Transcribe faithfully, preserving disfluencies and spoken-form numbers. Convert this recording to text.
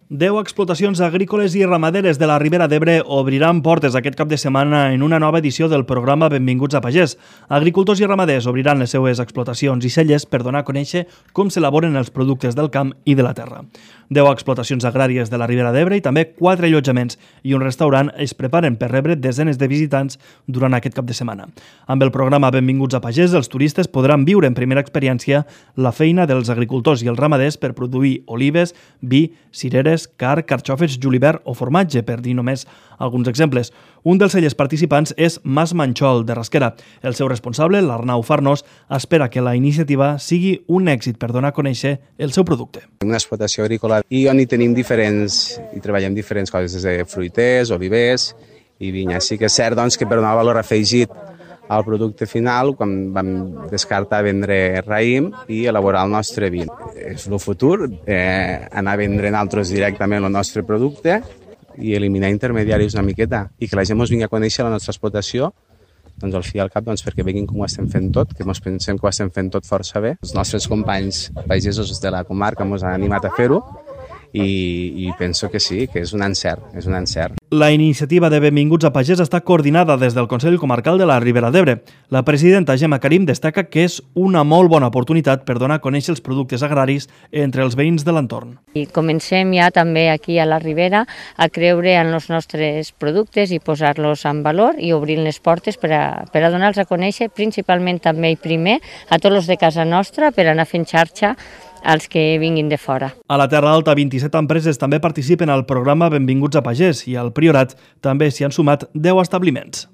Deu explotacions agrícoles i ramaderes de la Ribera d'Ebre obriran portes aquest cap de setmana en una nova edició del programa Benvinguts a Pagès. Agricultors i ramaders obriran les seues explotacions i celles per donar a conèixer com s'elaboren els productes del camp i de la terra. Deu explotacions agràries de la Ribera d'Ebre i també quatre allotjaments i un restaurant es preparen per rebre desenes de visitants durant aquest cap de setmana. Amb el programa Benvinguts a Pagès, els turistes podran viure en primera experiència la feina dels agricultors i els ramaders per produir olives, vi, cireres, carn, carxofes, julivert o formatge, per dir només alguns exemples. Un dels cellers participants és Mas Manxol, de Rasquera. El seu responsable, l'Arnau Farnós, espera que la iniciativa sigui un èxit per donar a conèixer el seu producte. Una explotació agrícola i on hi tenim diferents, i treballem diferents coses, des de fruiters, olivers i vinya. Sí que és cert doncs, que per donar valor afegit al producte final, quan vam descartar vendre raïm i elaborar el nostre vi. És el futur, eh, anar a vendre nosaltres directament el nostre producte i eliminar intermediaris una miqueta i que la gent ens vingui a conèixer la nostra explotació, doncs al fi i al cap doncs, perquè veguin com ho estem fent tot, que ens pensem que ho estem fent tot força bé. Els nostres companys pagesos de la comarca ens han animat a fer-ho i, i penso que sí, que és un encert, és un encert. La iniciativa de Benvinguts a Pagès està coordinada des del Consell Comarcal de la Ribera d'Ebre. La presidenta Gemma Karim destaca que és una molt bona oportunitat per donar a conèixer els productes agraris entre els veïns de l'entorn. I comencem ja també aquí a la Ribera a creure en els nostres productes i posar-los en valor i obrir les portes per a, per a donar-los a conèixer, principalment també i primer a tots els de casa nostra per anar fent xarxa als que vinguin de fora. A la Terra Alta, vint-i-set empreses també participen al programa Benvinguts a Pagès i al Priorat també s'hi han sumat deu establiments.